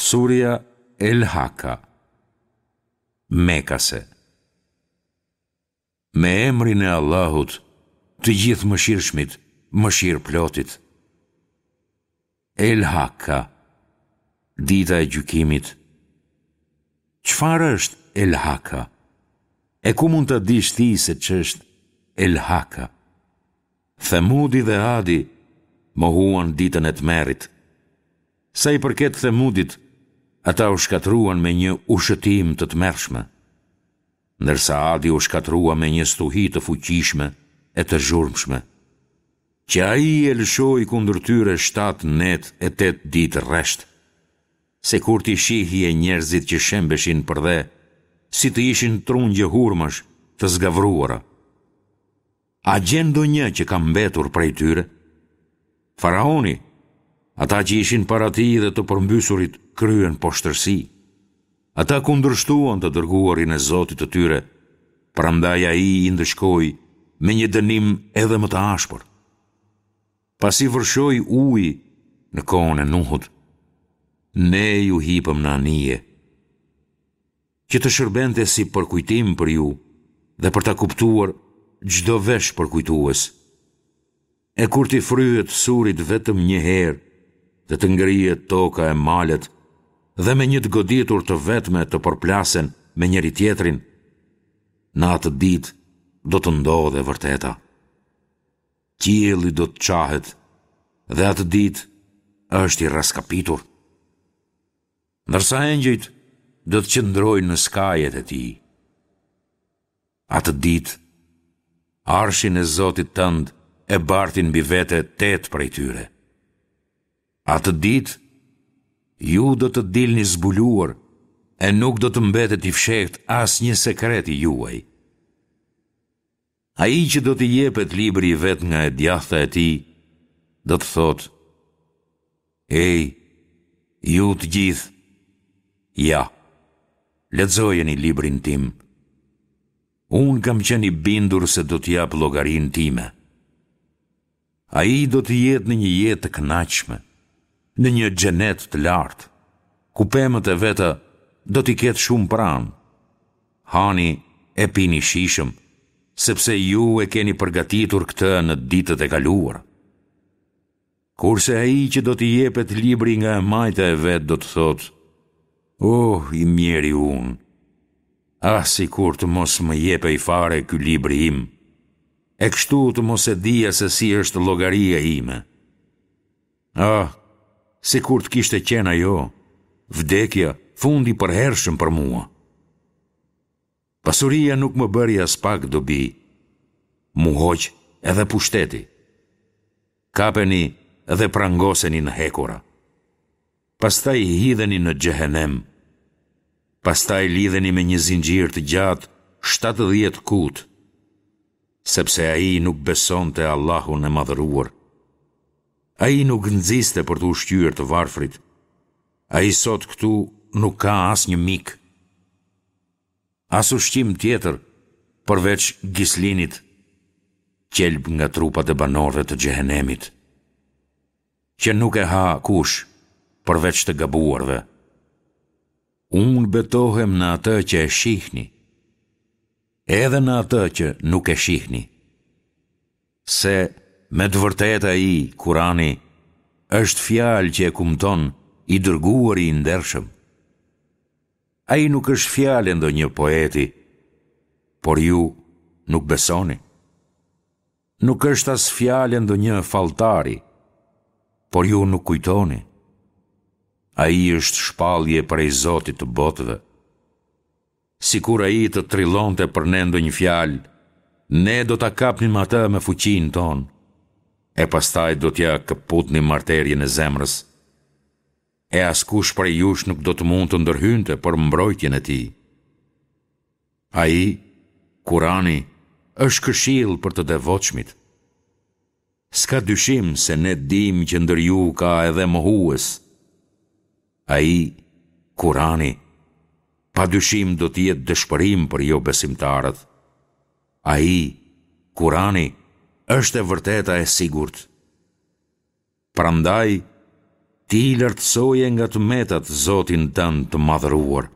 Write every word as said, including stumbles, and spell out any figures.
Surja El Haka Mekase. Me emrin e Allahut, të Gjithëmëshirshmit, Mëshirëplotit. El Haka, Dita e Gjykimit. Çfarë është El Haka? E ku mund ta dish ti se ç'është El Haka? Themudi dhe Adi mohuan ditën e tmerrit. Sa i përket Themudit, ata u shkatërruan me një ushëtimë të tmerrshme, ndërsa Adi u shkatërrua me një stuhi të fuqishme e të zhurmshme, që ai e lëshoi kundër tyre shtatë net e tetë ditë rresht, sikur t'i shihje njerëzit që shembeshin përdhe, si të ishin trungje hurmash të zgavruara. A gjen ndonjë që ka mbetur prej tyre? Faraoni, ata që ishin para tij dhe të përmbysurit kryen poshtërsi. Ata kundërshtuan të dërguarin e Zotit të tyre, prandaj ai i ndëshkoi me një dënim edhe më të ashpër. Pasi vërshoi uji në kohën e Nuhut, ne ju hipëm në anije, që të shërbente si përkujtim për ju dhe për ta kuptuar çdo vesh përkujtues. E kur t'i fryhet surit vetëm një herë dhe të ngrihet toka e malet dhe me një të goditur të vetme të përplasen me njëri-tjetrin, në atë ditë do të ndodhë e vërteta. Qielli do të çahet dhe atë ditë është i rraskapitur. Ndërsa engjëjt do të qëndrojnë në skajet e tij. Atë ditë, arshin e Zotit tënd e bartin mbi vete tetë prej tyre. Atë ditë, ju do të dilni zbuluar e nuk do të mbetet i fshehtë asnjë sekret i juaj. Ai që do t'i jepet libri i vet nga e djathta e tij, do të thotë, Ej, ju të gjithë, ja, lexojeni librin tim. Unë kam qenë i bindur se do të jap llogarinë time. Ai do të jetë në një jetë të kënaqshme, në një xhenet të lartë, ku pemët e veta do t'i ketë shumë pranë. Hani e pini shijshëm, sepse ju e keni përgatitur këtë në ditët e kaluara. Kurse ai që do t'i jepet libri nga e majta e vet do të thotë, Oh, i mjeri unë! Ah, sikur të mos më jepej fare ky libri im, e kështu të mos e dija se si është llogaria ime. Ah, sikur të kishte qenë ajo, vdekja, fundi i përhershëm për mua. Pasuria nuk më bëri aspak dobi, m'u hoq edhe pushteti. Kapeni dhe prangoseni në hekura. Pastaj hidheni në xhehenem. Pastaj lidheni me një zinxhir të gjatë shtatëdhjetë kut, sepse ai nuk besonte Allahun e Madhëruar. Ai nuk nxiste për të ushqyer të varfrit. Ai sot këtu nuk ka asnjë mik. As ushqim tjetër, përveç gislinit, qelb nga trupat e banorëve të xhehenemit, që nuk e ha kush, përveç të gabuarve. Unë betohem në atë që e shihni, edhe në atë që nuk e shihni, se me të vërtetë ai, Kurani, është fjalë që e kumton i dërguari i ndershëm. Ai nuk është fjalë e ndonjë poeti, por ju nuk besoni. Nuk është as fjalë e ndonjë falltari, por ju nuk kujtoni. Ai është shpallje prej Zotit të botëve. Sikur ai të trillonte për ne ndonjë fjalë, ne do ta kapnim atë me fuqinë tonë, e pastaj do t'ia këputnim arterien e zemrës. E askush prej jush nuk do të mund të ndërhynte për mbrojtjen e tij. Ai, Kurani, është këshillë për të devotshmit. S'ka dyshim se ne dimë që ndër ju ka edhe mohues. Ai, Kurani, pa dyshim do të jetë dëshpërim për jobesimtarët. Ai, Kurani, është e vërteta e sigurt. Prandaj, Ti lartësoje nga të metat Zotin tënd të Madhëruar.